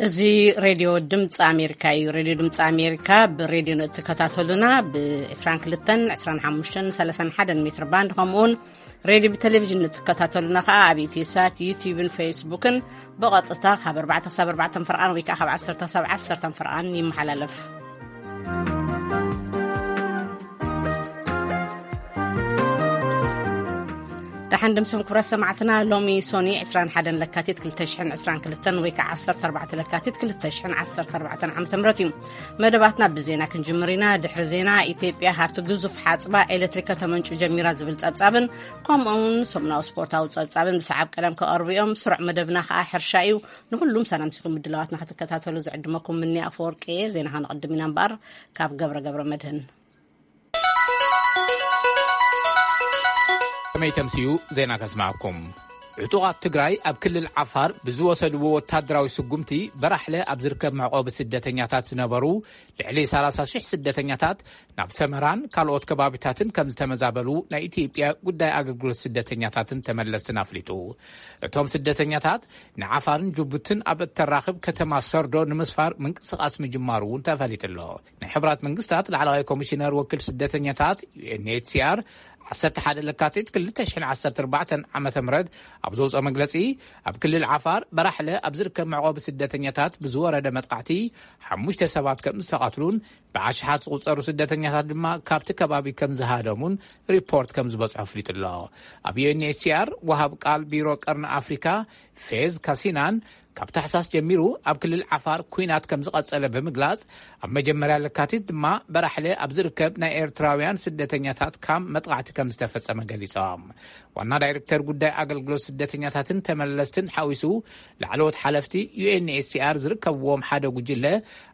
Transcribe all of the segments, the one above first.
እዚ ሬድዮ ድምፂ ኣሜሪካ እዩ። ሬድዮ ድምፂ ኣሜሪካ ብሬድዮ ንእትከታተሉና ብ22፣ 25፣ 31 ሜትር ባንድ፣ ከምኡውን ሬድዮ ብቴሌቪዥን ንእትከታተሉና ከዓ ኣብ ኢትዮሳት፣ ዩቲዩብን ፌስቡክን ብቐጥታ ካብ ኣርባዕተ ክሳብ ኣርባዕተ ፈርቓን ወይ ከዓ ካብ ዓሰርተ ክሳብ ዓሰርተ ፈርቓን ይመሓላለፍ። ደሓን ድምስም ክብረት ሰማዕትና፣ ሎሚ ሶኒ 21 ለካቲት 2022 ወይ ከዓ 14 ለካቲት 2014 ዓ.ም እዩ። መደባትና ብዜና ክንጅምር ኢና። ድሕሪ ዜና፣ ኢትዮጵያ ካብቲ ግዙፍ ሓጽባ ኤሌክትሪክ ከተመንጩ ጀሚራ ዝብል ጸብጻብን፣ ከምኡውን ሰሙናዊ ስፖርታዊ ጸብጻብን ብሰዓብ ቀደም ክቐርቡ እዮም። ስሩዕ መደብና ከዓ ሕርሻ እዩ። ንኹሉም ሰላምሲኹም ምድላዋትና ክትከታተሉ ዝዕድመኩም ምኒ ኣፈወርቂ እየ። ዜና ከነቕድም ኢና እምበኣር፣ ካብ ገብረ ገብረ መድህን። ከመይ ተምስዩ ዜና ከስማዕኩም። ዕጡቓት ትግራይ ኣብ ክልል ዓፋር ብዝወሰድዎ ወታደራዊ ስጉምቲ፣ በራሕለ ኣብ ዝርከብ መዕቆቢ ስደተኛታት ዝነበሩ ልዕሊ 30,000 ስደተኛታት ናብ ሰመራን ካልኦት ከባቢታትን ከም ዝተመዛበሉ ናይ ኢትዮጵያ ጉዳይ ኣገልግሎት ስደተኛታትን ተመለስትን ኣፍሊጡ። እቶም ስደተኛታት ንዓፋርን ጅቡትን ኣብ እተራኽብ ከተማ ሰርዶ ንምስፋር ምንቅስቓስ ምጅማሩ እውን ተፈሊጡ ኣሎ። ናይ ሕቡራት መንግስታት ላዕለዋይ ኮሚሽነር ወኪል ስደተኛታት፣ ዩ ኤን ኤች ሲ ኣር፣ 11 ለካቲት 2014 ዓ.ም ኣብ ዘውፅኦ መግለፂ፣ ኣብ ክልል ዓፋር በራሕለ ኣብ ዝርከብ መዕቆቢ ስደተኛታት ብዝወረደ መጥቃዕቲ ሓሙሽተ ሰባት ከም ዝተቐትሉን ብኣሽሓት ዝቑጸሩ ስደተኛታት ድማ ካብቲ ከባቢ ከም ዝሃደሙን ሪፖርት ከም ዝበፅሖ ኣፍሊጡ ኣሎ። ኣብ ዩ ኤን ኤች ሲ ኣር ወሃብ ቃል ቢሮ ቀርኒ ኣፍሪካ ፌዝ ካሲናን፣ ካብ ታሕሳስ ጀሚሩ ኣብ ክልል ዓፋር ኲናት ከም ዝቐጸለ ብምግላጽ፣ ኣብ መጀመርያ ለካቲት ድማ በራሕለ ኣብ ዝርከብ ናይ ኤርትራውያን ስደተኛታት ካምፕ መጥቃዕቲ ከም ዝተፈጸመ ገሊጾም። ዋና ዳይሬክተር ጉዳይ ኣገልግሎት ስደተኛታትን ተመለስትን ሓዊሱ፣ ላዕለዎት ሓለፍቲ ዩ ኤን ኤች ሲ ኣር ዝርከብዎም ሓደ ጉጅለ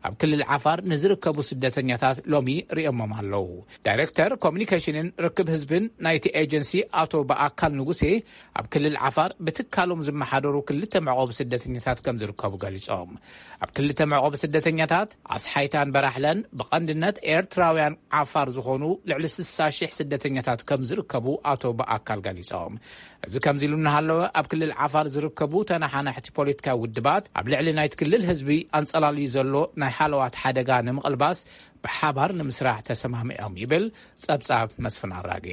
ኣብ ክልል ዓፋር ንዝርከቡ ስደተኛታት ሎሚ ሪኦሞም ኣለዉ። ዳይሬክተር ኮሚኒኬሽንን ርክብ ህዝብን ናይቲ ኤጀንሲ ኣቶ በኣካል ንጉሴ፣ ኣብ ክልል ዓፋር ብትካሎም ዝመሓደሩ ክልተ መዕቆቢ ስደተኛታት ከም ዝርከቡ ገሊጾም። ኣብ ክልተ መዕቆቢ ስደተኛታት ኣስሓይታን በራሕለን ብቐንድነት ኤርትራውያን ዓፋር ዝኾኑ ልዕሊ 60,000 ስደተኛታት ከም ዝርከቡ ኣቶ በኣካል ገሊጾም። እዚ ከምዚ ኢሉ እናሃለወ፣ ኣብ ክልል ዓፋር ዝርከቡ ተነሓናሕቲ ፖለቲካዊ ውድባት ኣብ ልዕሊ ናይቲ ክልል ህዝቢ ኣንጸላልዩ ዘሎ ናይ ሃለዋት ሓደጋ ንምቕልባስ ብሓባር ንምስራሕ ተሰማሚዖም ይብል ጸብጻብ መስፍን ኣራጌ።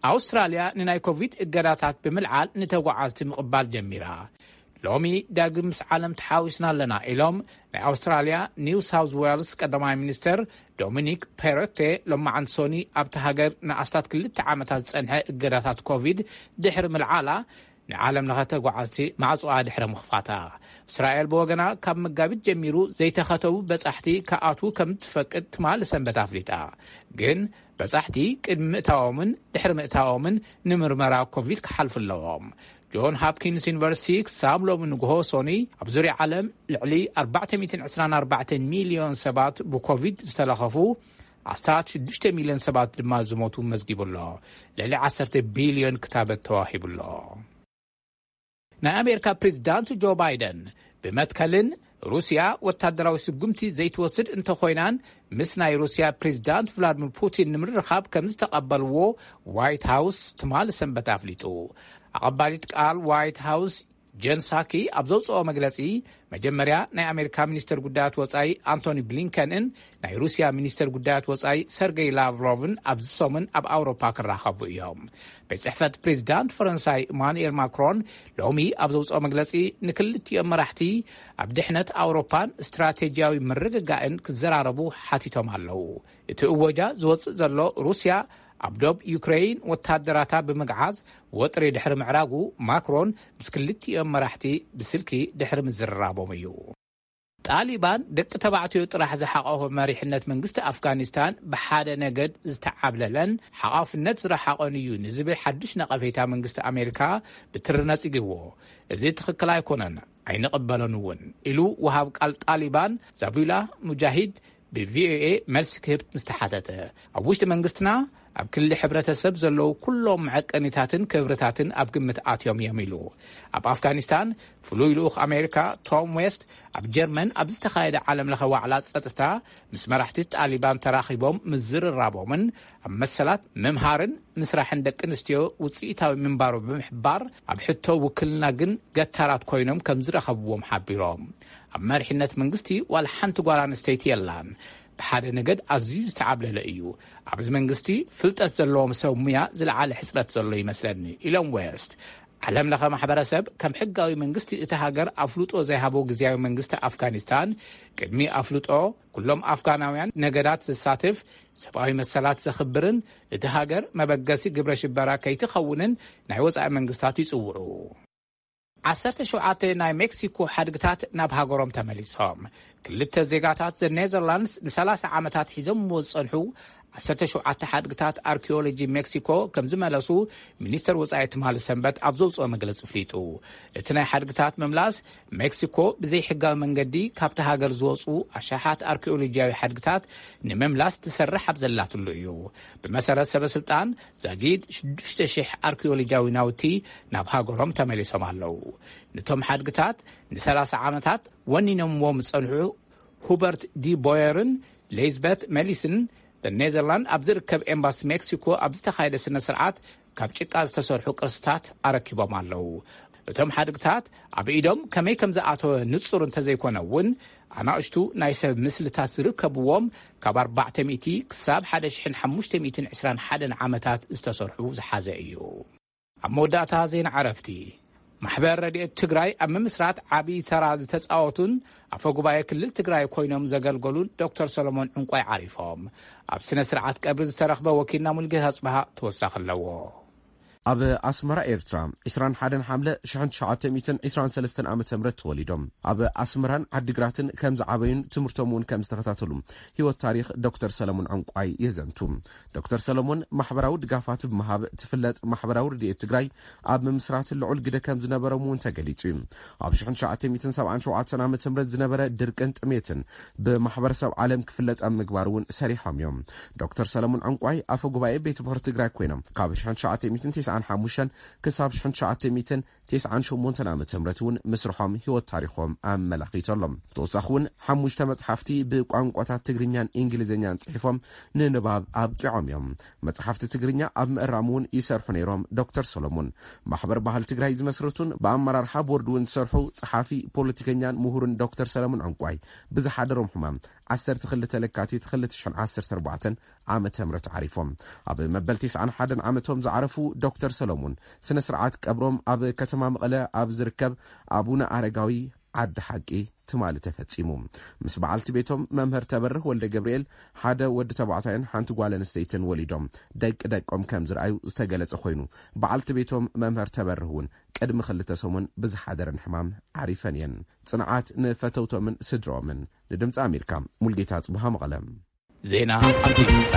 ኣውስትራልያ ንናይ ኮቪድ እገዳታት ብምልዓል ንተጓዓዝቲ ምቕባል ጀሚራ። ሎሚ ዳግም ምስ ዓለም ተሓዊስና ኣለና ኢሎም ናይ ኣውስትራልያ ኒው ሳውዝ ዌልስ ቀዳማይ ሚኒስተር ዶሚኒክ ፔሮቴ ሎማዓንቲ ሶኒ ኣብቲ ሃገር ንኣስታት ክልተ ዓመታት ዝጸንሐ እገዳታት ኮቪድ ድሕሪ ምልዓላ ንዓለም ለኸ ተጓዓዝቲ ማዕጾኣ ድሕሪ ምኽፋታ። እስራኤል ብወገና ካብ መጋቢት ጀሚሩ ዘይተኸተቡ በጻሕቲ ክኣትዉ ከም ትፈቅድ ትማሊ ሰንበት ኣፍሊጣ። ግን በጻሕቲ ቅድሚ ምእታዎምን ድሕሪ ምእታዎምን ንምርመራ ኮቪድ ክሓልፉ ኣለዎም። ጆን ሃፕኪንስ ዩኒቨርሲቲ ክሳብ ሎሚ ንግሆ ሶኒ ኣብ ዙርያ ዓለም ልዕሊ 424 ሚልዮን ሰባት ብኮቪድ ዝተለኸፉ፣ ኣስታት ሽዱሽተ ሚልዮን ሰባት ድማ ዝሞቱ መዝጊቡ ኣሎ። ልዕሊ 10 ቢልዮን ክታበት ተዋሂቡ ኣሎ። ናይ ኣሜሪካ ፕሬዚዳንት ጆ ባይደን ብመትከልን ሩስያ ወታደራዊ ስጉምቲ ዘይትወስድ እንተኾይናን ምስ ናይ ሩስያ ፕሬዚዳንት ቭላድሚር ፑቲን ንምርኻብ ከም ዝተቐበልዎ ዋይት ሃውስ ትማሊ ሰንበት ኣፍሊጡ። ኣቐባሊት ቃል ዋይት ሃውስ ጀን ሳኪ ኣብ ዘውፅኦ መግለፂ፣ መጀመርያ ናይ ኣሜሪካ ሚኒስትር ጉዳያት ወፃኢ ኣንቶኒ ብሊንከንን ናይ ሩስያ ሚኒስትር ጉዳያት ወፃኢ ሰርገይ ላቭሮቭን ኣብዚ ሰሙን ኣብ ኣውሮፓ ክራኸቡ እዮም። ቤት ጽሕፈት ፕሬዚዳንት ፈረንሳይ ኢማኑኤል ማክሮን ሎሚ ኣብ ዘውፅኦ መግለፂ፣ ንክልቲኦም መራሕቲ ኣብ ድሕነት ኣውሮፓን ስትራቴጂያዊ ምርግጋእን ክዘራረቡ ሓቲቶም ኣለዉ። እቲ እወጃ ዝወፅእ ዘሎ ሩስያ ኣብ ዶብ ዩክሬን ወታደራታ ብምግዓዝ ወጥሪ ድሕሪ ምዕራጉ፣ ማክሮን ምስ ክልቲኦም መራሕቲ ብስልኪ ድሕሪ ምዝርራቦም እዩ። ጣሊባን ደቂ ተባዕትዮ ጥራሕ ዝሓቆፈ መሪሕነት መንግስቲ ኣፍጋኒስታን ብሓደ ነገድ ዝተዓብለለን ሓቋፍነት ዝረሓቐን እዩ ንዝብል ሓድሽ ነቐፌታ መንግስቲ ኣሜሪካ ብትሪ ነጺግዎ። እዚ ትኽክል ኣይኮነን፣ ኣይንቕበሎን እውን ኢሉ ወሃብ ቃል ጣሊባን ዛቢላ ሙጃሂድ ብቪኦኤ መልሲ ክህብ ምስ ተሓተተ፣ ኣብ ውሽጢ መንግስትና ኣብ ክሊ ሕብረተሰብ ዘለዉ ኩሎም መዐቀኒታትን ክብርታትን ኣብ ግምት ኣትዮም እዮም ኢሉ። ኣብ ኣፍጋኒስታን ፍሉይ ልኡኽ ኣሜሪካ ቶም ዌስት ኣብ ጀርመን ኣብ ዝተኻየደ ዓለም ለኸ ዋዕላ ጸጥታ ምስ መራሕቲ ጣሊባን ተራኺቦም ምዝርራቦምን ኣብ መሰላት ምምሃርን ምስራሕን ደቂ ኣንስትዮ ውጽኢታዊ ምንባሩ ብምሕባር ኣብ ሕቶ ውክልና ግን ገታራት ኮይኖም ከም ዝረኸብዎም ሓቢሮም። ኣብ መሪሕነት መንግስቲ ዋላ ሓንቲ ጓል ኣንስተይቲ የላን። ብሓደ ነገድ ኣዝዩ ዝተዓብለለ እዩ። ኣብዚ መንግስቲ ፍልጠት ዘለዎም ሰብ ሙያ ዝለዓለ ሕጽረት ዘሎ ይመስለኒ ኢሎም ዌስት። ዓለም ለኸ ማሕበረሰብ ከም ሕጋዊ መንግስቲ እቲ ሃገር ኣፍልጦ ዘይሃቦ ግዝያዊ መንግስቲ ኣፍጋኒስታን ቅድሚ ኣፍልጦ ኩሎም ኣፍጋናውያን ነገዳት ዝሳትፍ ሰብኣዊ መሰላት ዘኽብርን እቲ ሃገር መበገሲ ግብረ ሽበራ ከይትኸውንን ናይ ወጻኢ መንግስታት ይጽውዑ። ዓሰርተ ሸውዓተ ናይ ሜክሲኮ ሓድግታት ናብ ሃገሮም ተመሊሶም። ክልተ ዜጋታት ዘ ኔዘርላንድስ ን30 ዓመታት ሒዞምዎ ዝጸንሑ ዓሰርተ ሸውዓተ ሓድግታት ኣርኪኦሎጂ ሜክሲኮ ከም ዝመለሱ ሚኒስተር ወጻኢ ትማሊ ሰንበት ኣብ ዘውጽኦ መግለጺ ኣፍሊጡ። እቲ ናይ ሓድግታት ምምላስ ሜክሲኮ ብዘይሕጋዊ መንገዲ ካብቲ ሃገር ዝወጹ ኣሽሓት ኣርኪኦሎጂያዊ ሓድግታት ንምምላስ ትሰርሕ ኣብ ዘላትሉ እዩ። ብመሰረት ሰበ ስልጣን ዛጊድ ሽዱሽተ ሽሕ ኣርኪኦሎጂያዊ ናውቲ ናብ ሃገሮም ተመሊሶም ኣለዉ። ነቶም ሓድግታት ን30 ዓመታት ወኒኖምዎም ዝጸንሑ ሁበርት ዲ ቦየርን ሌዝበት መሊስን ኔዘርላንድ ኣብ ዝርከብ ኤምባሲ ሜክሲኮ ኣብ ዝተኻየደ ስነ ስርዓት ካብ ጭቃ ዝተሰርሑ ቅርስታት ኣረኪቦም ኣለዉ። እቶም ሓድግታት ኣብ ኢዶም ከመይ ከም ዝኣተወ ንጹር እንተዘይኮነ እውን ኣናእሽቱ ናይ ሰብ ምስልታት ዝርከብዎም ካብ ኣርባዕተ ሚእቲ ክሳብ ሓደ ሽሕን ሓሙሽተ ሚእትን ዕስራን ሓደን ዓመታት ዝተሰርሑ ዝሓዘ እዩ። ኣብ መወዳእታ ዜና ዕረፍቲ ማሕበር ረድኤት ትግራይ ኣብ ምምስራት ዓብዪ ተራ ዝተፃወቱን ኣፈ ጉባኤ ክልል ትግራይ ኮይኖም ዘገልገሉን ዶክተር ሰሎሞን ዕንቋይ ዓሪፎም። ኣብ ስነ ስርዓት ቀብሪ ዝተረኽበ ወኪልና ሙልጌታ ጽብሃ ተወሳኺ ኣለዎ። ኣብ ኣስመራ ኤርትራ ዕስራን ሓደን ሓምለ ሽሕን ትሽዓተ ሚእትን ዕስራን ሰለስተን ዓመተ ምህረት ተወሊዶም ኣብ ኣስመራን ዓዲግራትን ከም ዝዓበዩን ትምህርቶም እውን ከም ዝተኸታተሉ ህይወት ታሪኽ ዶክተር ሰለሞን ዕንቋይ የዘንቱ። ዶክተር ሰለሞን ማሕበራዊ ድጋፋት ብምሃብ ትፍለጥ ማሕበራዊ ረድኤት ትግራይ ኣብ ምምስራት ልዑል ግደ ከም ዝነበሮም እውን ተገሊጹ እዩ። ኣብ ሽሕን ትሽዓተ ሚእትን ሰብዓን ሸውዓተን ዓመተ ምህረት ዝነበረ ድርቅን ጥሜትን ብማሕበረሰብ ዓለም ክፍለጥ ኣብ ምግባር እውን ሰሪሖም እዮም። ዶክተር ሰለሞን ዕንቋይ ኣፈ ጉባኤ ቤት ምኽሪ ትግራይ ኮይኖም ካብ ሽሕን ትሽዓተ ሚእትን ተስዓን ሓሙሽተን ክሳብ ሽሕን ትሽዓተ ሚእትን ተስዓን ሸሞንተን ዓመተ ምህረት እውን ምስርሖም ህይወት ታሪኾም ኣመላኺቱ ኣሎ። ብተወሳኺ እውን ሓሙሽተ መጽሓፍቲ ብቋንቋታት ትግርኛን እንግሊዝኛን ጽሒፎም ንንባብ ኣብቂዖም እዮም። መጽሓፍቲ ትግርኛ ኣብ ምእራም እውን ይሰርሑ ነይሮም። ዶክተር ሰሎሞን ማሕበር ባህል ትግራይ ዝመስረቱን ብኣመራርሓ ቦርድ እውን ዝሰርሑ ጸሓፊ፣ ፖለቲከኛን ምሁርን ዶክተር ሰለሞን ዕንቋይ ብዝሓደሮም ሕማም ዓሰርተ ክልተ ለካቲት ክልተ ሽሕን ዓሰርተ ኣርባዕተን ዓመተ ምህረት ዓሪፎም። ኣብ መበል ተስዓን ሓደን ዓመቶም ዝዓረፉ ዶክተር ሰሎሞን ስነ ስርዓት ቀብሮም ኣብ ከተማ መቐለ ኣብ ዝርከብ ኣቡነ ኣረጋዊ ዓዲ ሓቂ ትማሊ ተፈጺሙ። ምስ በዓልቲ ቤቶም መምህር ተበርህ ወልደ ገብርኤል ሓደ ወዲ ተባዕታይን ሓንቲ ጓል ኣንስተይትን ወሊዶም ደቂ ደቆም ከም ዝረኣዩ ዝተገለጸ ኮይኑ፣ በዓልቲ ቤቶም መምህር ተበርህ እውን ቅድሚ ክልተ ሰሙን ብዝሓደረን ሕማም ዓሪፈን እየን። ጽንዓት ንፈተውቶምን ስድሮምን። ንድምፂ ኣሜሪካ ሙልጌታ ጽብሃ መቐለ። ዜና ኣንቲቪሳ።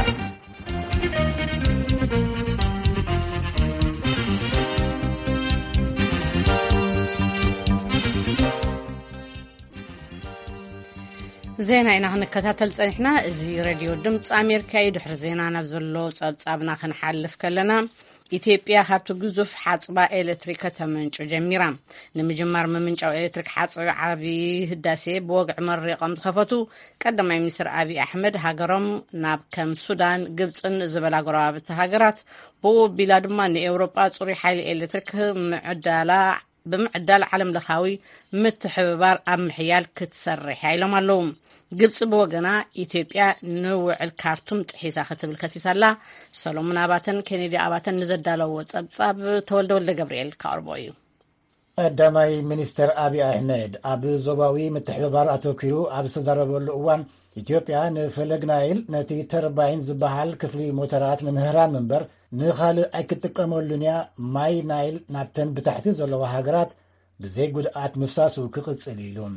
ዜና ኢና ክንከታተል ጸኒሕና። እዚ ሬድዮ ድምፂ ኣሜሪካ እዩ። ድሕሪ ዜና ናብ ዘሎ ጸብጻብና ክንሓልፍ ከለና፣ ኢትዮጵያ ካብቲ ግዙፍ ሓጽባ ኤሌክትሪክ ከተመንጩ ጀሚራ። ንምጅማር ምምንጫው ኤሌክትሪክ ሓጽቢ ዓቢ ህዳሴ ብወግዒ መሪቖም ዝኸፈቱ ቀዳማይ ሚኒስትር ኣብይ ኣሕመድ፣ ሃገሮም ናብ ከም ሱዳን፣ ግብጽን ዝበላ ጎረባብቲ ሃገራት፣ ብኡ ኣቢላ ድማ ንኤውሮጳ ጽሩይ ሓይሊ ኤሌክትሪክ ምዕዳላ፣ ብምዕዳል ዓለም ለኻዊ ምትሕብባር ኣብ ምሕያል ክትሰርሕ እያ ኢሎም ኣለዉ። ግብጺ ብወገና፣ ኢትዮጵያ ንውዕል ካርቱም ጥሒሳ ክትብል ከሲሳ ኣላ። ሰሎሞን ኣባተን ኬኔዲ ኣባተን ንዘዳለዎ ጸብጻብ ተወልደ ወልደ ገብርኤል ከቕርቦ እዩ። ቀዳማይ ሚኒስትር ኣብይ ኣሕመድ ኣብ ዞባዊ ምትሕብባር ኣተኲሩ ኣብ ዝተዛረበሉ እዋን፣ ኢትዮጵያ ንፈለግ ናይል ነቲ ተርባይን ዝበሃል ክፍሊ ሞተራት ንምህራም እምበር ንኻልእ ኣይክትጥቀመሉን እያ፣ ማይ ናይል ናብተን ብታሕቲ ዘለዋ ሃገራት ብዘይ ጉድኣት ምፍሳሱ ክቕጽል እዩ ኢሉ።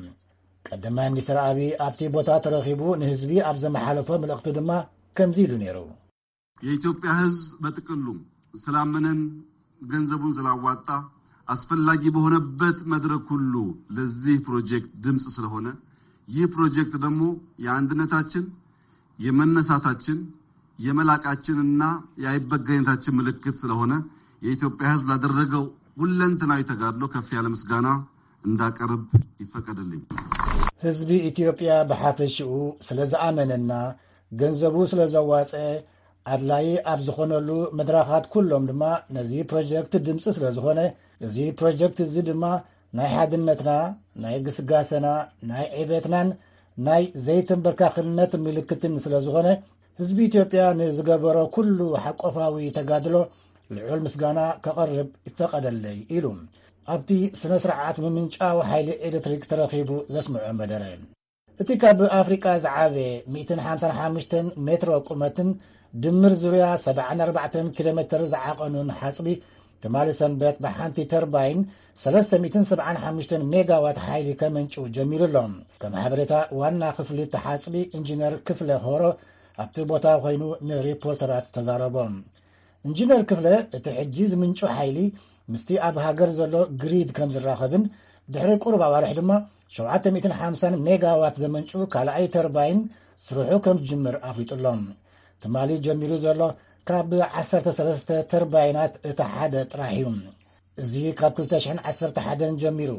ቀዳማይ ሚኒስትር ኣብይ ኣብቲ ቦታ ተረኺቡ ንህዝቢ ኣብ ዘመሓለፎ መልእኽቱ ድማ ከምዚ ኢሉ ነይሩ። የኢትዮጵያ ሕዝብ በጥቅሉ ስላመነን ገንዘቡን ስላዋጣ አስፈላጊ በሆነበት መድረክ ሁሉ ለዚህ ፕሮጀክት ድምፅ ስለሆነ፣ ይህ ፕሮጀክት ደግሞ የአንድነታችን፣ የመነሳታችን፣ የመላቃችንና የአይበገሬነታችን ምልክት ስለሆነ የኢትዮጵያ ሕዝብ ላደረገው ሁለንተናዊ ተጋድሎ ከፍ ያለ ምስጋና እንዳቀርብ ይፈቀድልኝ። ህዝቢ ኢትዮጵያ ብሓፈሽኡ ስለ ዝኣመነና፣ ገንዘቡ ስለ ዘዋፀ፣ ኣድላይ ኣብ ዝኾነሉ መድረኻት ኩሎም ድማ ነዚ ፕሮጀክት ድምፂ ስለ ዝኾነ፣ እዚ ፕሮጀክት እዚ ድማ ናይ ሓድነትና፣ ናይ ግስጋሰና፣ ናይ ዕቤትናን ናይ ዘይተንበርካኽነት ምልክትን ስለ ዝኾነ፣ ህዝቢ ኢትዮጵያ ንዝገበሮ ኩሉ ሓቆፋዊ ተጋድሎ ልዑል ምስጋና ከቐርብ ይፈቐደለይ ኢሉ ኣብቲ ስነ ስርዓት ምምንጫው ሓይሊ ኤሌክትሪክ ተረኺቡ ዘስምዖ መደረ። እቲ ካብ ኣፍሪቃ ዝዓበየ ሚእትን ሓምሳን ሓሙሽተን ሜትሮ ቁመትን ድምር ዙርያ ሰብዓን ኣርባዕተን ኪሎ ሜትር ዝዓቐኑን ሓጽቢ ትማሊ ሰንበት ብሓንቲ ተርባይን ሰለስተ ሚእትን ሰብዓን ሓሙሽተን ሜጋዋት ሓይሊ ከመንጭው ጀሚሩ ኣሎ። ከም ሓበሬታ ዋና ክፍሊ እቲ ሓጽቢ ኢንጂነር ክፍለ ሆሮ ኣብቲ ቦታ ኮይኑ ንሪፖርተራት ዝተዛረቦ። ኢንጂነር ክፍለ እቲ ሕጂ ዝምንጩ ሓይሊ ምስቲ ኣብ ሃገር ዘሎ ግሪድ ከም ዝራኸብን ድሕሪ ቁሩብ ኣዋርሕ ድማ ሸውዓተ ሚእትን ሓምሳን ሜጋዋት ዘመንጩ ካልኣይ ተርባይን ስርሑ ከም ዝጅምር ኣፍሊጡ ኣሎ። ትማሊ ጀሚሩ ዘሎ ካብ ዓሰርተ ሰለስተ ተርባይናት እቲ ሓደ ጥራሕ እዩ። እዚ ካብ ክልተ ሽሕን ዓሰርተ ሓደን ጀሚሩ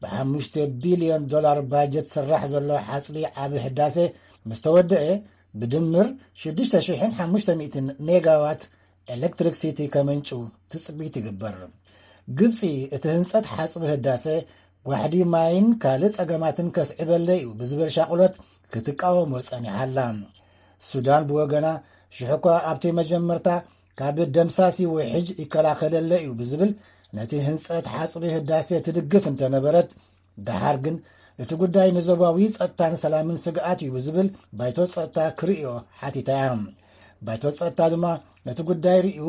ብሓሙሽተ ቢልዮን ዶላር ባጀት ዝስራሕ ዘሎ ሓጽቢ ዓቢ ህዳሴ ምስ ተወደአ ብድምር ሽዱሽተ ሽሕን ሓሙሽተ ሚእትን ሜጋዋት ኤሌክትሪክሲቲ ከመንጩ ትጽቢት ይግበር። ግብጺ እቲ ህንጸት ሓጽቢ ህዳሰ ጓሕዲ ማይን ካልእ ጸገማትን ከስዕበለይ እዩ ብዝብል ሻቕሎት ክትቃወሞ ጸኒሓ ኣላ። ሱዳን ብወገና ሽሕኳ ኣብቲ መጀመርታ ካብ ደምሳሲ ውሕጅ ይከላኸለለይ እዩ ብዝብል ነቲ ህንጸት ሓጽቢ ህዳሴ ትድግፍ እንተነበረት፣ ደሓር ግን እቲ ጉዳይ ንዞባዊ ጸጥታን ሰላምን ስግኣት እዩ ብዝብል ባይቶ ጸጥታ ክርእዮ ሓቲታ እያ። ባይቶ ጸጥታ ድማ ነቲ ጉዳይ ርእዩ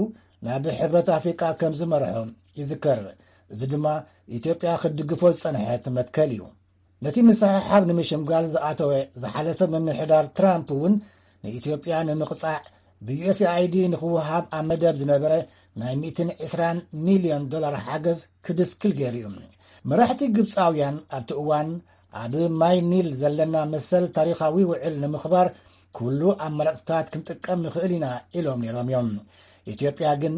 ናብ ሕብረት ኣፍሪቃ ከም ዝመርሖ ይዝከር። እዚ ድማ ኢትዮጵያ ክትድግፎ ዝጸንሐት መትከል እዩ። ነቲ ምስሕሓብ ንምሽምጋል ዝኣተወ ዝሓለፈ ምምሕዳር ትራምፕ እውን ንኢትዮጵያ ንምቕጻዕ ብዩኤስኤኣይዲ ንኽወሃብ ኣብ መደብ ዝነበረ ናይ ሚእትን ዕስራን ሚልዮን ዶላር ሓገዝ ክድስክል ገይሩ እዩ። መራሕቲ ግብፃውያን ኣብቲ እዋን ኣብ ማይ ኒል ዘለና መሰል ታሪኻዊ ውዕል ንምኽባር ኩሉ ኣማራፅታት ክንጥቀም ንኽእል ኢና ኢሎም ነይሮም እዮም። ኢትዮጵያ ግን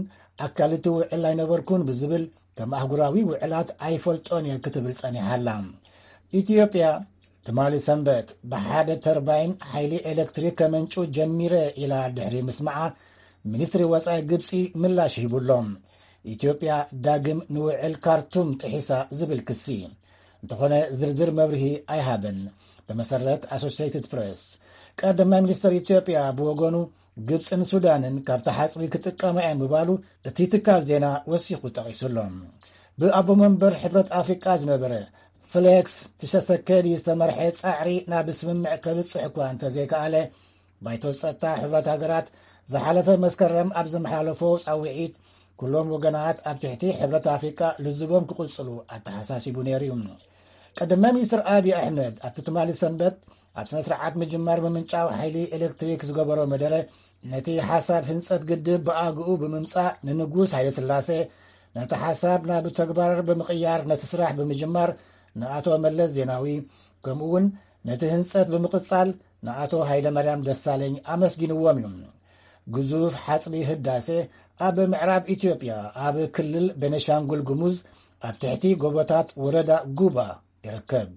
ኣካል እቲ ውዕል ኣይነበርኩን ብዝብል ከም ኣህጉራዊ ውዕላት ኣይፈልጦን እየ ክትብል ጸኒሓ ኣላ። ኢትዮጵያ ትማሊ ሰንበት ብሓደ ተርባይን ሓይሊ ኤሌክትሪክ ከመንጩ ጀሚረ ኢላ ድሕሪ ምስማዓ፣ ሚኒስትሪ ወጻኢ ግብጺ ምላሽ ሂቡ ኣሎ። ኢትዮጵያ ዳግም ንውዕል ካርቱም ጥሒሳ ዝብል ክሲ እንተኾነ ዝርዝር መብርሂ ኣይሃበን። ብመሰረት ኣሶሲየትድ ፕሬስ፣ ቀዳማይ ሚኒስትር ኢትዮጵያ ብወገኑ ግብጽን ሱዳንን ካብቲ ሓጽቢ ክጥቀማ እየን ምባሉ እቲ ትካል ዜና ወሲኹ ጠቒሱ ኣሎ። ብኣቦ መንበር ሕብረት ኣፍሪቃ ዝነበረ ፍሌክስ ትሸሰከዲ ዝተመርሐ ጻዕሪ ናብ ስምምዕ ከብጽሕ እኳ እንተዘይከኣለ፣ ባይቶ ጸጥታ ሕብረት ሃገራት ዝሓለፈ መስከረም ኣብ ዘመሓላለፎ ጻውዒት፣ ኩሎም ወገናት ኣብ ትሕቲ ሕብረት ኣፍሪቃ ልዝቦም ክቕጽሉ ኣተሓሳሲቡ ነይሩ እዩ። ቀዳማይ ሚኒስትር ኣብይ ኣሕመድ ኣብቲ ትማሊ ሰንበት ኣብ ስነ ስርዓት ምጅማር ምምንጫው ሓይሊ ኤሌክትሪክ ዝገበሮ መደረ፣ ነቲ ሓሳብ ህንጸት ግድብ ብኣግኡ ብምምጻእ ንንጉስ ሃይለ ስላሴ፣ ነቲ ሓሳብ ናብ ተግባር ብምቕያር ነቲ ስራሕ ብምጅማር ንኣቶ መለስ ዜናዊ፣ ከምኡ እውን ነቲ ህንጸት ብምቕጻል ንኣቶ ሃይለማርያም ደሳለኝ ኣመስጊንዎም እዩ። ግዙፍ ሓጽቢ ህዳሴ ኣብ ምዕራብ ኢትዮጵያ ኣብ ክልል ቤነሻንጉል ጉሙዝ ኣብ ትሕቲ ጎቦታት ወረዳ ጉባ ይርከብ።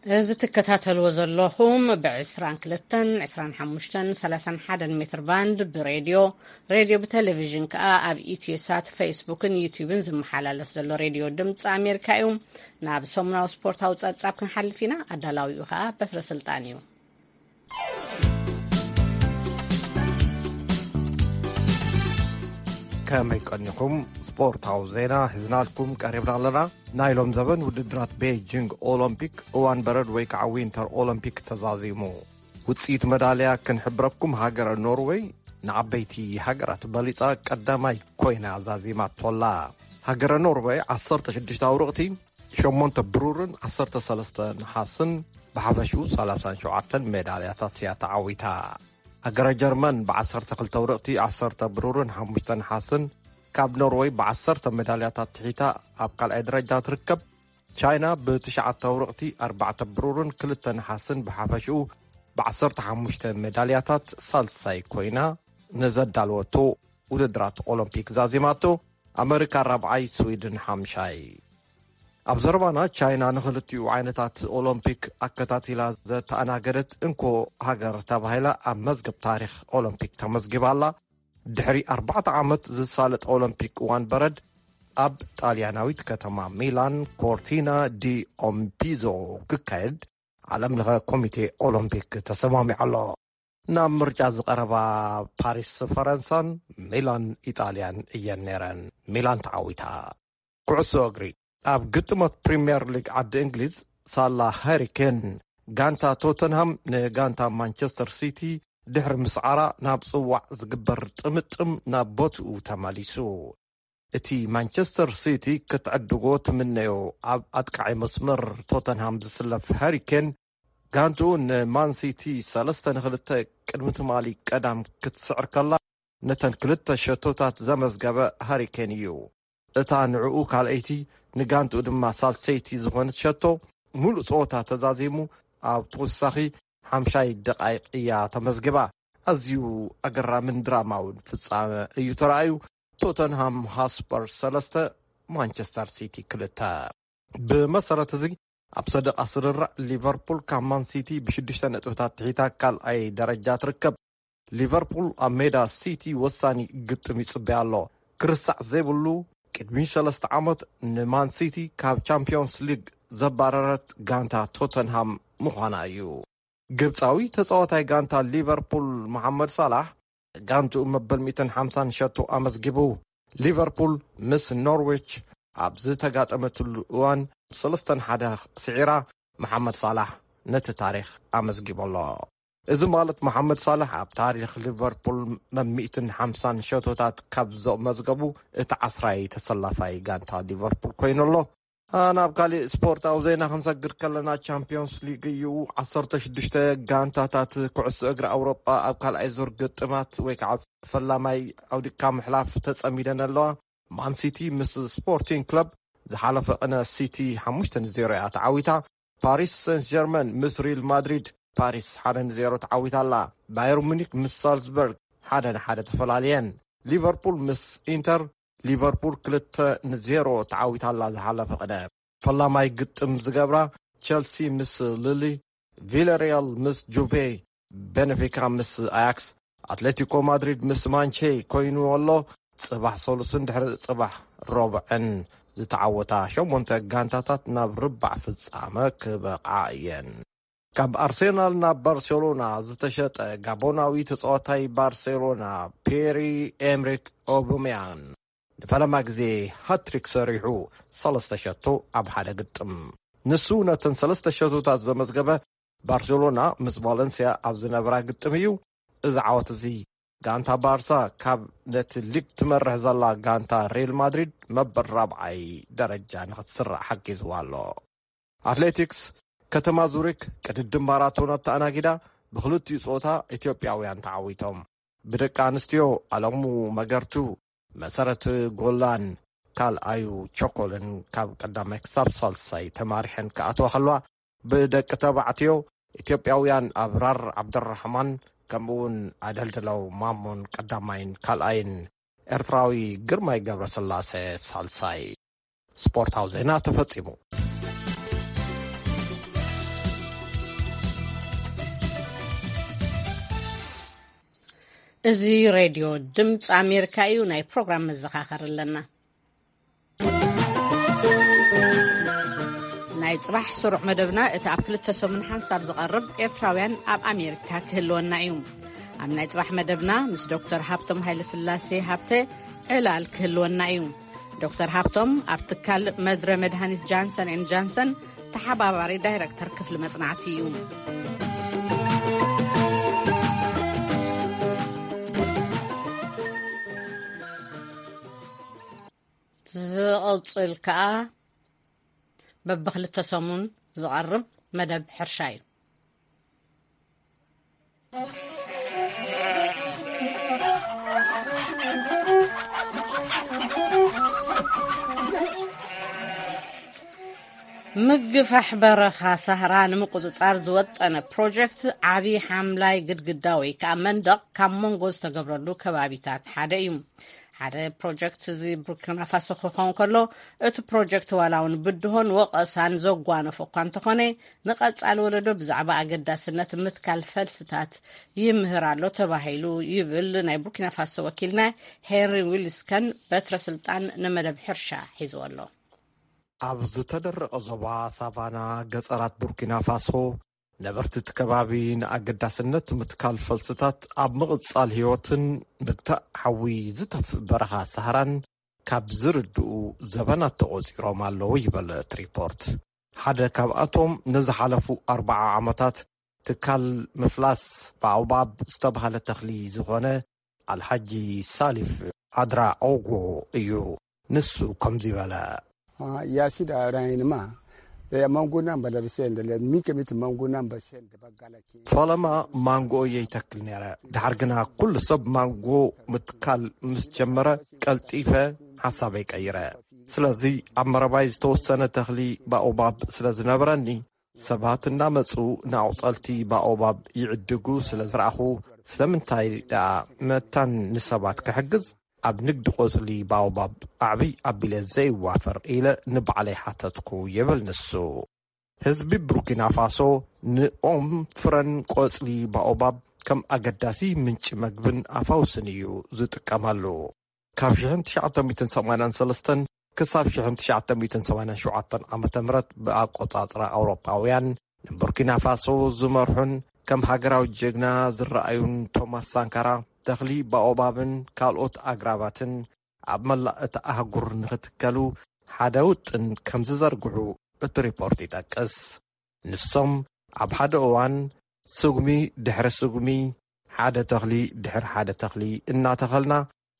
እዚ ትከታተልዎ ዘለኹም ብ22፣ 25፣ 31 ሜትር ባንድ ብሬድዮ፣ ሬድዮ ብቴሌቪዥን ከኣ ኣብ ኢትዮሳት፣ ፌስቡክን ዩቲዩብን ዝመሓላለፍ ዘሎ ሬድዮ ድምፂ ኣሜሪካ እዩ። ናብ ሰሙናዊ ስፖርታዊ ጸብጻብ ክንሓልፍ ኢና። ኣዳላዊኡ ከኣ በትረ ስልጣን እዩ። ከመይ ቀኒኹም? ስፖርታዊ ዜና ሒዝናልኩም ቀሪብና ኣለና። ናይ ሎም ዘበን ውድድራት ቤጂንግ ኦሎምፒክ እዋን በረድ ወይ ከዓ ዊንተር ኦሎምፒክ ተዛዚሙ። ውፅኢት መዳልያ ክንሕብረኩም፣ ሃገረ ኖርወይ ንዓበይቲ ሃገራት በሊፃ ቀዳማይ ኮይና ዛዚማቶላ። ሃገረ ኖርወይ ዓሰርተ ሽዱሽተ ኣውርቕቲ፣ ሸሞንተ ብሩርን ዓሰርተ ሰለስተ ነሓስን ብሓፈሽኡ ሰላሳን ሸውዓተን ሜዳልያታት እያ ተዓዊታ። ሃገረ ጀርመን ብዓሰርተ ክልተ ኣውርቕቲ፣ ዓሰርተ ብሩርን ሓሙሽተ ነሓስን ካብ ኖርወይ ብዓሰርተ ሜዳልያታት ትሒታ ኣብ ካልኣይ ደረጃ ትርከብ። ቻይና ብትሽዓተ ኣውርቕቲ፣ ኣርባዕተ ብሩርን ክልተ ነሓስን ብሓፈሽኡ ብዓሰርተ ሓሙሽተ ሜዳልያታት ሳልሳይ ኮይና ንዘዳለወቶ ውድድራት ኦሎምፒክ ዛዚማቶ፣ ኣመሪካ ራብዓይ፣ ስዊድን ሓምሻይ። ኣብ ዘረባና፣ ቻይና ንኽልቲኡ ዓይነታት ኦሎምፒክ ኣከታቲላ ዘተኣናገደት እንኮ ሃገር ተባሂላ ኣብ መዝገብ ታሪኽ ኦሎምፒክ ተመዝጊባ ኣላ። ድሕሪ ኣርባዕተ ዓመት ዝሳለጥ ኦሎምፒክ እዋን በረድ ኣብ ጣልያናዊት ከተማ ሚላን ኮርቲና ዲ ኦምፒዞ ክካየድ ዓለም ለኸ ኮሚቴ ኦሎምፒክ ተሰማሚዑ ኣሎ። ናብ ምርጫ ዝቐረባ ፓሪስ ፈረንሳን ሚላን ኢጣልያን እየን ነይረን። ሚላን ተዓዊታ። ኩዕሶ እግሪ። ኣብ ግጥሞት ፕሪምየር ሊግ ዓዲ እንግሊዝ፣ ሳላ ሃሪ ኬን ጋንታ ቶተንሃም ንጋንታ ማንቸስተር ሲቲ ድሕሪ ምስዓራ፣ ናብ ጽዋዕ ዝግበር ጥምጥም ናብ ቦትኡ ተመሊሱ። እቲ ማንቸስተር ሲቲ ክትዕድጎ ትምነዮ ኣብ ኣጥቃዒ መስመር ቶተንሃም ዝስለፍ ሃሪ ኬን፣ ጋንትኡ ንማን ሲቲ ሰለስተ ንኽልተ ቅድሚ ትማሊ ቀዳም ክትስዕር ከላ፣ ነተን ክልተ ሸቶታት ዘመዝገበ ሃሪ ኬን እዩ። እታ ንዕኡ ካልኣይቲ፣ ንጋንትኡ ድማ ሳልሰይቲ ዝኾነት ሸቶ፣ ሙሉእ ጸወታ ተዛዚሙ ኣብ ተወሳኺ ሓምሻይ ደቓይቕ እያ ተመዝጊባ። ኣዝዩ ኣገራምን ድራማውን ፍጻመ እዩ ተራእዩ። ቶተንሃም ሃስፐር ሰለስተ፣ ማንቸስተር ሲቲ ክልተ። ብመሰረት እዚ፣ ኣብ ሰደቓ ስርርዕ፣ ሊቨርፑል ካብ ማን ሲቲ ብሽዱሽተ ነጥብታት ትሒታ ካልኣይ ደረጃ ትርከብ። ሊቨርፑል ኣብ ሜዳ ሲቲ ወሳኒ ግጥም ይጽበያ ኣሎ። ክርሳዕ ዘይብሉ፣ ቅድሚ ሰለስተ ዓመት ንማን ሲቲ ካብ ቻምፒዮንስ ሊግ ዘባረረት ጋንታ ቶተንሃም ምዃና እዩ። ግብጻዊ ተጻዋታይ ጋንታ ሊቨርፑል መሓመድ ሳላሕ፣ ጋንትኡ መበል ሚእትን ሓምሳን ሸቶ ኣመዝጊቡ። ሊቨርፑል ምስ ኖርዊች ኣብ ዝተጋጠመትሉ እዋን ሰለስተን ሓደ ስዒራ፣ መሓመድ ሳላሕ ነቲ ታሪኽ ኣመዝጊቡ ኣሎ። እዚ ማለት፣ መሓመድ ሳላሕ ኣብ ታሪኽ ሊቨርፑል መብ ሚእትን ሓምሳን ሸቶታት ካብ ዘመዝገቡ እቲ ዓስራይ ተሰላፋይ ጋንታ ሊቨርፑል ኮይኑ ኣሎ። አ፣ ናብ ካሊእ ስፖርታዊ ዜና ክንሰግር ከለና፣ ቻምፒዮንስ ሊግ እዩ። ዓሰርተ ሽዱሽተ ጋንታታት ኩዕሶ እግሪ ኣውሮጳ ኣብ ካልኣይ ዙር ግጥማት ወይ ከዓ ፈላማይ ኣውዲቕካ ምሕላፍ ተጸሚደን ኣለዋ። ማን ሲቲ ምስ ስፖርቲንግ ክለብ ዝሓለፈ ቅነ ሲቲ ሓሙሽተ ንዜሮ እያ ተዓዊታ። ፓሪስ ሰንት ጀርመን ምስ ሪል ማድሪድ፣ ፓሪስ ሓደ ንዜሮ ተዓዊታ ኣላ። ባየር ሙኒክ ምስ ሳልዝበርግ ሓደ ንሓደ ተፈላልየን። ሊቨርፑል ምስ ኢንተር፣ ሊቨርፑል ክልተ ንዜሮ ተዓዊታ ኣላ ዝሓለፈ ቅነ። ፈላማይ ግጥም ዝገብራ፣ ቸልሲ ምስ ሊሊ፣ ቪለሪያል ምስ ጁቬ፣ ቤንፊካ ምስ ኣያክስ፣ ኣትሌቲኮ ማድሪድ ምስ ማንቼ ኮይኑ ኣሎ። ጽባሕ ሰሉስን ድሕሪ ጽባሕ ረቡዕን ዝተዓወታ ሸሞንተ ጋንታታት ናብ ርባዕ ፍጻመ ክበቕዓ እየን። ካብ ኣርሴናል ናብ ባርሴሎና ዝተሸጠ ጋቦናዊ ተጻዋታይ ባርሴሎና፣ ፔሪ ኤምሪክ ኦባሜያንግ፣ ንፈለማ ግዜ ሃትሪክ ሰሪሑ፣ ሰለስተ ሸቶ ኣብ ሓደ ግጥም። ንሱ ነተን ሰለስተ ሸቶታት ዘመዝገበ፣ ባርሴሎና ምስ ቫለንስያ ኣብ ዝነበራ ግጥም እዩ። እዚ ዓወት እዚ፣ ጋንታ ባርሳ ካብ ነቲ ሊግ ትመርሕ ዘላ ጋንታ ሪል ማድሪድ መበል ራብዓይ ደረጃ ንኽትስራዕ ሓጊዝዋ ኣሎ። ኣትሌቲክስ። ከተማ ዙሪክ ቅድድም ማራቶን ኣተኣናጊዳ፣ ብኽልቲኡ ጾታ ኢትዮጵያውያን ተዓዊቶም። ብደቂ ኣንስትዮ፣ ኣለሙ መገርቱ፣ መሰረት ጎላን ካልኣዩ ቸኮልን ካብ ቀዳማይ ክሳብ ሳልሳይ ተማሪሐን ክኣትዋ ከለዋ፣ ብደቂ ተባዕትዮ፣ ኢትዮጵያውያን ኣብራር ዓብደራሕማን ከምኡውን ኣደልድለው ማሞን ቀዳማይን ካልኣይን፣ ኤርትራዊ ግርማይ ገብረስላሴ ሳልሳይ። ስፖርታዊ ዜና ተፈጺሙ። እዚ ሬድዮ ድምፂ ኣሜሪካ እዩ። ናይ ፕሮግራም መዘኻኸሪ ኣለና። ናይ ጽባሕ ስሩዕ መደብና፣ እቲ ኣብ ክልተ ሰሙን ሓንሳብ ዝቐርብ ኤርትራውያን ኣብ ኣሜሪካ ክህልወና እዩ። ኣብ ናይ ጽባሕ መደብና ምስ ዶክተር ሃብቶም ሃይለስላሴ ሃብተ ዕላል ክህልወና እዩ። ዶክተር ሃብቶም ኣብ ትካል መድረ መድሃኒት ጃንሰን ኤንድ ጃንሰን ተሓባባሪ ዳይረክተር ክፍሊ መጽናዕቲ እዩ። ዝቕጽል ከኣ በብኽልተ ሰሙን ዝቐርብ መደብ ሕርሻ እዩ። ምግፋሕ በረኻ ሳህራ ንምቁጽጻር ዝወጠነ ፕሮጀክት ዓቢ ሓምላይ ግድግዳ ወይ ከዓ መንደቕ ካብ መንጎ ዝተገብረሉ ከባቢታት ሓደ እዩ። ሓደ ፕሮጀክት እዚ ቡርኪና ፋሶ ክኸውን ከሎ፣ እቲ ፕሮጀክት ዋላ እውን ብድሆን ወቐሳን ዘጓነፎ እኳ እንተኾነ፣ ንቐጻሊ ወለዶ ብዛዕባ ኣገዳስነት ምትካል ፈልስታት ይምህር ኣሎ ተባሂሉ ይብል ናይ ቡርኪና ፋሶ ወኪልና ሄንሪ ዊልስከን በትረ ስልጣን ንመደብ ሕርሻ ሒዝዎ ኣሎ። ኣብ ዝተደረቐ ዞባ ሳቫና ገጸራት ቡርኪና ፋሶ፣ ነበርቲ እቲ ከባቢ ንኣገዳስነት ምትካል ፈልስታት ኣብ ምቕጻል ህይወትን ምግታእ ሓዊ ዝተፍእ በረኻ ሳህራን ካብ ዝርድኡ ዘበናት ተቖጺሮም ኣለዉ ይበል እቲ ሪፖርት። ሓደ ካብኣቶም ንዝሓለፉ ኣርብዓ ዓመታት ትካል ምፍላስ ባኦባብ ዝተባህለ ተኽሊ ዝኾነ ኣልሓጂ ሳሊፍ ኣድራ ኦጎ እዩ። ንሱ ከምዚ በለ። Yasida rainma ya mango nan ba da sen da mi ke miti mango nan ba sen da bagala ke. ፈለማ ማንጎ እየ ይተክል ነይረ። ድሓር ግና ኩሉ ሰብ ማንጎ ምትካል ምስ ጀመረ ቀልጢፈ ሓሳበይ ቀይረ። ስለዚ ኣብ መረባይ ዝተወሰነ ተኽሊ ባኦባብ ስለ ዝነበረኒ ሰባት እናመጹ ንኣቑጸልቲ ባኦባብ ይዕድጉ ስለ ዝረኣኹ፣ ስለምንታይ ደኣ መታን ንሰባት ክሕግዝ ኣብ ንግዲ ቆጽሊ ባኦባብ ኣዕብይ ኣቢለ ዘይዋፈር ኢለ ንባዕለይ ሓተትኩ ይብል ንሱ። ህዝቢ ቡርኪና ፋሶ ንኦም ፍረን ቆጽሊ ባኦባብ ከም ኣገዳሲ ምንጪ መግብን ኣፋውስን እዩ ዝጥቀመሉ። ካብ ሽሕን ትሽዓተ ሚእትን ሰማንያን ሰለስተን ክሳብ ሽሕን ትሽዓተ ሚእትን ሰማንያን ሸውዓተን ዓመተ ምህረት ብኣቆጻጽራ ኣውሮፓውያን ንቡርኪና ፋሶ ዝመርሑን ከም ሃገራዊ ጀግና ዝረኣዩን ቶማስ ሳንካራ፣ ተኽሊ ባኦባብን ካልኦት ኣግራባትን ኣብ መላእ እታ ኣህጉር ንኽትከሉ ሓደ ውጥን ከም ዝዘርግሑ እቲ ሪፖርት ይጠቅስ። ንሶም ኣብ ሓደ እዋን ስጉሚ ድሕሪ ስጉሚ፣ ሓደ ተኽሊ ድሕሪ ሓደ ተኽሊ እናተኸልና፣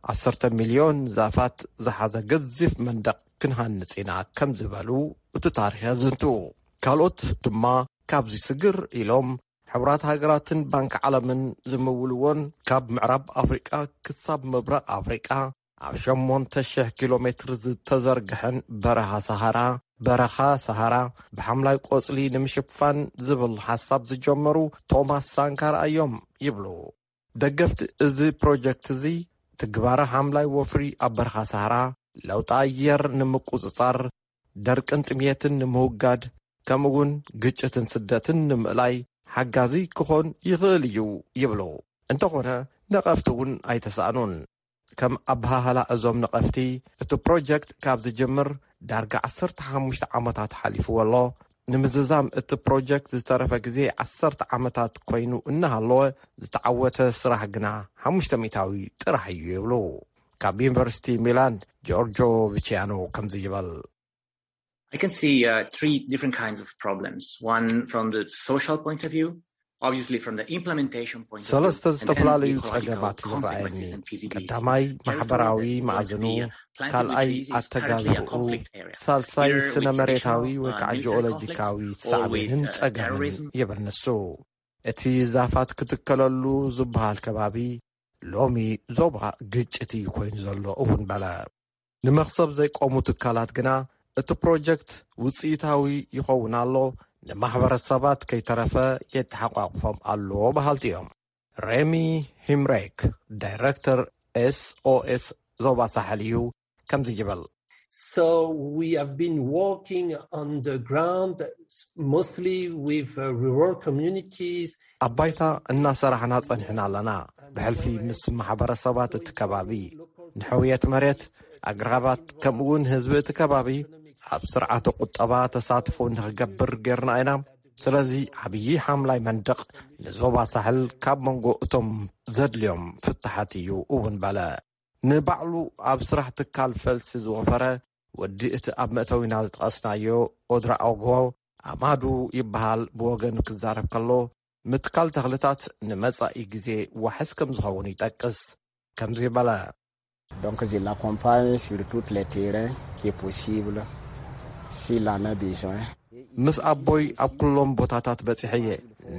ዓሰርተ ሚልዮን ዛፋት ዝሓዘ ገዚፍ መንደቕ ክንሃንጽ ኢና ከም ዝበሉ እቲ ታሪኽ የዝንቱ። ካልኦት ድማ ካብዚ ስግር ኢሎም፣ ሕቡራት ሃገራትን ባንክ ዓለምን ዝምውልዎን ካብ ምዕራብ ኣፍሪቃ ክሳብ ምብራቕ ኣፍሪቃ ኣብ ሸሞንተ ሽሕ ኪሎ ሜትር ዝተዘርግሐን በረኻ ሰሃራ፣ በረኻ ሰሃራ ብሓምላይ ቆጽሊ ንምሽፋን ዝብል ሓሳብ ዝጀመሩ ቶማስ ሳንካራ እዮም ይብሉ። ደገፍቲ እዚ ፕሮጀክት እዚ፣ ትግባረ ሓምላይ ወፍሪ ኣብ በረኻ ሰሃራ፣ ለውጢ ኣየር ንምቁጽጻር፣ ደርቅን ጥምየትን ንምውጋድ፣ ከምኡ እውን ግጭትን ስደትን ንምእላይ ሓጋዚ ክኾን ይኽእል እዩ ይብሉ። እንተኾነ፣ ነቐፍቲ እውን ኣይተሳእኑን። ከም ኣበሃህላ እዞም ነቐፍቲ፣ እቲ ፕሮጀክት ካብ ዝጅምር ዳርጋ ዓሰርተ ሓሙሽተ ዓመታት ሓሊፍዎ ኣሎ። ንምዝዛም እቲ ፕሮጀክት ዝተረፈ ግዜ ዓሰርተ ዓመታት ኮይኑ እናሃለወ፣ ዝተዓወተ ስራሕ ግና ሓሙሽተ ሚእታዊ ጥራሕ እዩ ይብሉ። ካብ ዩኒቨርሲቲ ሚላን ጆርጆ ቪቺያኖ ከምዚ ይበል። I can see uh, three different kinds of problems. One from the social point of view, obviously from the implementation point of view, ሰለስተ and then the ዝተፈላለዩ ecological ጸገማት consequences ይረኣየኒ። and feasibility. ቀዳማይ Territory ማሕበራዊ that is መኣዝኑ፣ currently uh, planted with ካልኣይ trees is currently a ኣተጋግባኡ፣ conflict area. ሳልሳይ Here with ስነ መሬታዊ traditional ወይ uh, ከዓ military conflict ጂኦሎጂካዊ or with ሳዕቤንን uh, ጸገምን terrorism. ይብል ንሱ። እቲ ዛፋት ክትከለሉ ዝበሃል ከባቢ ሎሚ ዞባ ግጭት እዩ ኮይኑ ዘሎ እውን በለ። ንመኽሰብ ዘይቆሙ ትካላት ግና እቲ ፕሮጀክት ውፅኢታዊ ይኸውን ኣሎ፣ ንማሕበረሰባት ከይተረፈ የተሓቋቑፎም ኣሎ በሃልቲ እዮም። ሬሚ ሂምሬክ ዳይረክተር ኤስኦኤስ ዞባ ሳሕል እዩ ከምዚ ይብል። So we have been working on the ground mostly with uh, rural communities. ኣብ ባይታ እናሰራሕና ጸኒሕና ኣለና። ብሕልፊ ምስ ማሕበረሰባት እቲ ከባቢ ንሕውየት መሬት፣ ኣግራባት፣ ከምኡውን ህዝቢ እቲ ከባቢ ኣብ ስርዓተ ቁጠባ ተሳትፎ ንኽገብር ጌርና ኢና። ስለዚ ዓብዪ ሓምላይ መንደቕ ንዞባ ሳሕል ካብ መንጎ እቶም ዘድልዮም ፍታሓት እዩ እውን በለ። ንባዕሉ ኣብ ስራሕ ትካል ፈልሲ ዝወፈረ ወዲ እቲ ኣብ መእተዊና ዝጠቐስናዮ ኦድራኦጎ ኣማዱ ይበሃል። ብወገኑ ክዛረብ ከሎ፣ ምትካል ተኽልታት ንመጻኢ ግዜ ዋሕስ ከም ዝኸውን ይጠቅስ። ከምዚ በለ። Donc je l'accompagne sur tous les terrains qui est possible, s'il en a besoin. ምስ ኣቦይ ኣብ ኩሎም ቦታታት በጺሐ እየ።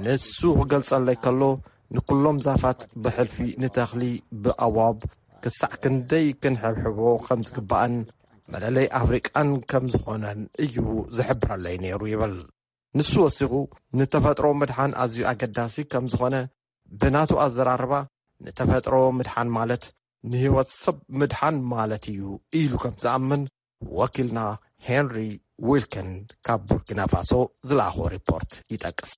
ንሱ ክገልጸለይ ከሎ፣ ንኩሎም ዛፋት ብሕልፊ ንተኽሊ ብኣዋብ ክሳዕ ክንደይ ክንሕብሕቦ ከም ዝግባእን መለለይ ኣፍሪቃን ከም ዝኾነን እዩ ዝሕብረለይ ነይሩ ይብል። ንሱ ወሲኹ፣ ንተፈጥሮ ምድሓን ኣዝዩ ኣገዳሲ ከም ዝኾነ፣ ብናቱ ኣዘራርባ፣ ንተፈጥሮ ምድሓን ማለት ንህይወት ሰብ ምድሓን ማለት እዩ ኢሉ ከም ዝኣምን ወኪልና ሄንሪ ዊልከን ካብ ቡርኪና ፋሶ ዝለኣኾ ሪፖርት ይጠቅስ።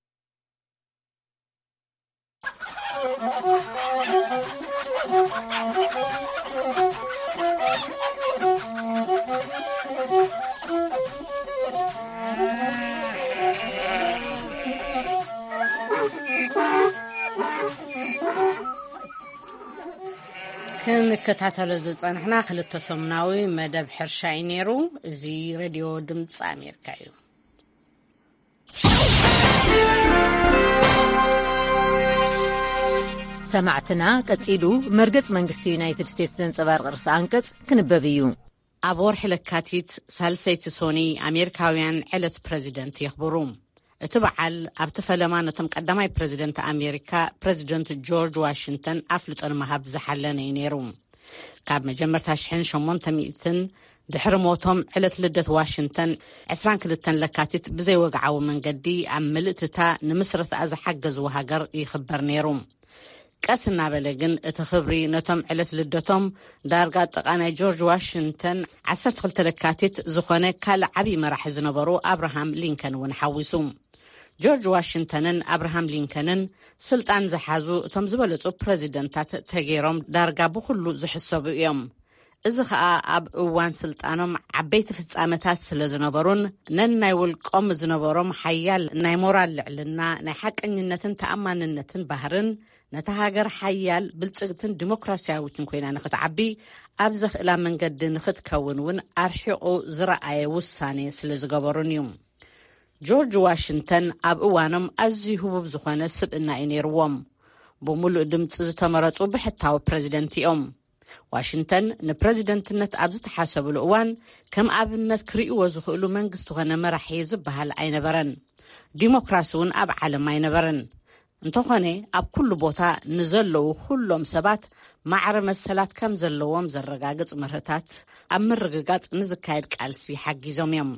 ክንከታተሎ ዝጸንሕና ክልተ ሰሙናዊ መደብ ሕርሻ እዩ ነይሩ። እዚ ሬድዮ ድምፂ ኣሜሪካ እዩ። ሰማዕትና፣ ቀጺሉ መርገጽ መንግስቲ ዩናይትድ ስቴትስ ዘንጸባርቕ ርእሰ ኣንቀጽ ክንበብ እዩ። ኣብ ወርሒ ለካቲት፣ ሳልሰይቲ ሶኒ፣ ኣሜሪካውያን ዕለት ፕረዚደንት የኽብሩ። እቲ በዓል ኣብቲ ፈለማ ነቶም ቀዳማይ ፕረዚደንት ኣሜሪካ፣ ፕረዚደንት ጆርጅ ዋሽንግተን ኣፍልጦ ንምሃብ ዝሓለነ እዩ ነይሩ። ካብ መጀመርታ ሽሕን ሸሞንተ ሚእትን ድሕሪ ሞቶም፣ ዕለት ልደት ዋሽንግተን፣ ዕስራን ክልተን ለካቲት፣ ብዘይወግዓዊ መንገዲ ኣብ ምልእትታ ንምስረትኣ ዝሓገዝዎ ሃገር ይኽበር ነይሩ። ቀስ እናበለ ግን እቲ ክብሪ ነቶም ዕለት ልደቶም ዳርጋ ጥቓ ናይ ጆርጅ ዋሽንግተን ዓሰርተ ክልተ ለካቲት ዝኾነ ካልእ ዓብዪ መራሒ ዝነበሩ ኣብርሃም ሊንከን እውን ሓዊሱ። ጆርጅ ዋሽንግተንን ኣብርሃም ሊንከንን ስልጣን ዝሓዙ እቶም ዝበለጹ ፕረዚደንታት ተገይሮም ዳርጋ ብኹሉ ዝሕሰቡ እዮም። እዚ ኸኣ ኣብ እዋን ስልጣኖም ዓበይቲ ፍጻመታት ስለ ዝነበሩን ነናይ ውልቆም ዝነበሮም ሓያል ናይ ሞራል ልዕልና፣ ናይ ሓቀኝነትን ተኣማንነትን ባህርን፣ ነታ ሃገር ሓያል፣ ብልጽግትን ዲሞክራስያዊትን ኮይና ንኽትዓቢ ኣብ ዘኽእላ መንገዲ ንኽትከውን እውን ኣርሒቑ ዝረኣየ ውሳኔ ስለ ዝገበሩን እዩ። ጆርጅ ዋሽንግተን ኣብ እዋኖም ኣዝዩ ህቡብ ዝኾነ ስብእና እዩ ነይርዎም። ብምሉእ ድምፂ ዝተመረጹ ብሕታዊ ፕረዚደንት እዮም። ዋሽንግተን ንፕረዚደንትነት ኣብ ዝተሓሰብሉ እዋን ከም ኣብነት ክርእይዎ ዝኽእሉ መንግስቲ ኾነ መራሒ ዝበሃል ኣይነበረን። ዲሞክራሲ እውን ኣብ ዓለም ኣይነበረን። እንተኾነ፣ ኣብ ኩሉ ቦታ ንዘለዉ ኩሎም ሰባት ማዕረ መሰላት ከም ዘለዎም ዘረጋግጽ መርህታት ኣብ ምርግጋጽ ንዝካየድ ቃልሲ ሓጊዞም እዮም።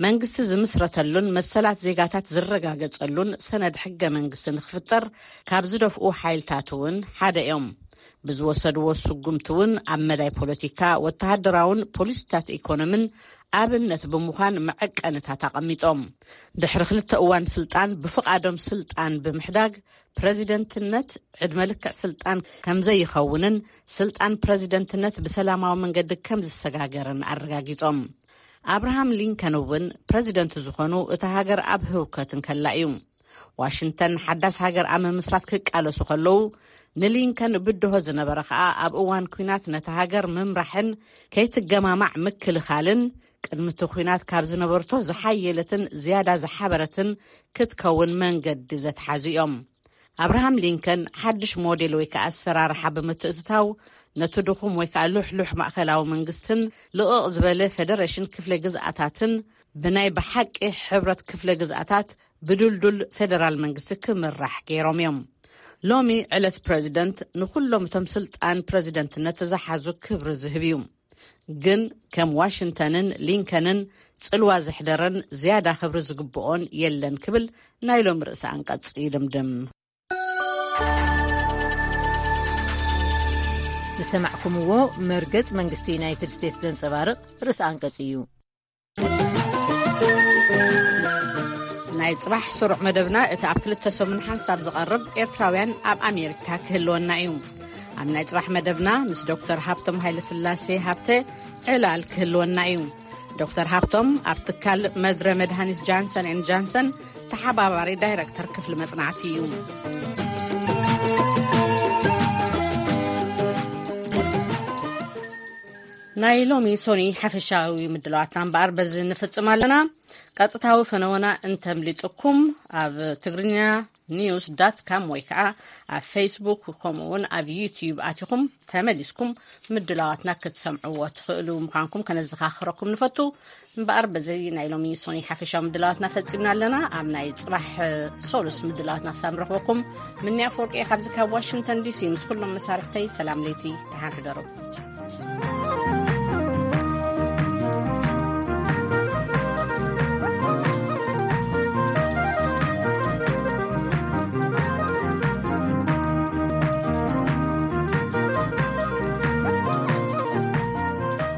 መንግስቲ ዝምስረተሉን መሰላት ዜጋታት ዝረጋገጸሉን ሰነድ ሕገ መንግስቲ ንክፍጠር ካብ ዝደፍኡ ሓይልታት እውን ሓደ እዮም። ብዝወሰድዎ ስጉምቲ እውን ኣብ መዳይ ፖለቲካ፣ ወተሃደራውን ፖሊሲታት ኢኮኖምን ኣብነት ብምዃን መዐቀንታት ኣቐሚጦም። ድሕሪ ክልተ እዋን ስልጣን ብፍቓዶም ስልጣን ብምሕዳግ፣ ፕረዚደንትነት ዕድመ ልክዕ ስልጣን ከም ዘይኸውንን ስልጣን ፕረዚደንትነት ብሰላማዊ መንገዲ ከም ዝሰጋገርን ኣረጋጊጾም። ኣብርሃም ሊንከን እውን ፕረዚደንት ዝኾኑ እታ ሃገር ኣብ ህውከት እንከላ እዩ። ዋሽንግተን ሓዳስ ሃገር ኣብ ምምስራት ክቃለሱ ከለዉ፣ ንሊንከን ብድሆ ዝነበረ ኸኣ ኣብ እዋን ኲናት ነታ ሃገር ምምራሕን ከይትገማማዕ ምክልኻልን፣ ቅድሚ እቲ ኲናት ካብ ዝነበርቶ ዝሓየለትን ዝያዳ ዝሓበረትን ክትከውን መንገዲ ዘትሓዙ እዮም። ኣብርሃም ሊንከን ሓድሽ ሞዴል ወይ ከኣ ኣሰራርሓ ብምትእትታው፣ ነቲ ድኹም ወይ ከኣ ልሕሉሕ ማእከላዊ መንግስትን ልቕቕ ዝበለ ፌደሬሽን ክፍለ ግዝኣታትን ብናይ ብሓቂ ሕብረት ክፍለ ግዝኣታት ብድልዱል ፌደራል መንግስቲ ክምራሕ ገይሮም እዮም። ሎሚ ዕለት ፕረዚደንት ንኹሎም እቶም ስልጣን ፕረዚደንትነት ዝሓዙ ክብሪ ዝህብ እዩ። ግን ከም ዋሽንግተንን ሊንከንን ጽልዋ ዘሕደረን ዝያዳ ክብሪ ዝግብኦን የለን ክብል ናይ ሎም ርእሰ ኣንቀጽ ይድምድም። ዝሰማዕኩምዎ መርገጽ መንግስቲ ዩናይትድ ስቴትስ ዘንጸባርቕ ርእሰ ኣንቀጽ እዩ። ናይ ጽባሕ ስሩዕ መደብና እቲ ኣብ ክልተ ሰሙን ሓንሳብ ዝቐርብ ኤርትራውያን ኣብ ኣሜሪካ ክህልወና እዩ። ኣብ ናይ ጽባሕ መደብና ምስ ዶክተር ሃብቶም ሃይለስላሴ ሃብተ ዕላል ክህልወና እዩ። ዶክተር ሃብቶም ኣብ ትካል መድረ መድሃኒት ጃንሰን ኤን ጃንሰን ተሓባባሪ ዳይረክተር ክፍሊ መጽናዕቲ እዩ። ናይ ሎሚ ሶኒ ሓፈሻዊ ምድላዋትና እምበኣር በዚ ንፍጽም ኣለና። ቀጥታዊ ፈነወና እንተምሊጥኩም ኣብ ትግርኛ ኒውስ ዳት ካም ወይ ከዓ ኣብ ፌስቡክ ከምኡ እውን ኣብ ዩቲዩብ ኣቲኹም ተመሊስኩም ምድላዋትና ክትሰምዕዎ ትኽእሉ ምዃንኩም ከነዘኻኽረኩም ንፈቱ። እምበኣር በዚ ናይ ሎሚ ሶኒ ሓፈሻዊ ምድላዋትና ፈጺምና ኣለና። ኣብ ናይ ጽባሕ ሶሉስ ምድላዋትና ክሳብ ንረኽበኩም ምንያ ኣፈወርቂ እየ ካብዚ ካብ ዋሽንግተን ዲሲ ምስ ኩሎም መሳርሕተይ ሰላም ለይቲ ደሓን ሕደሩ።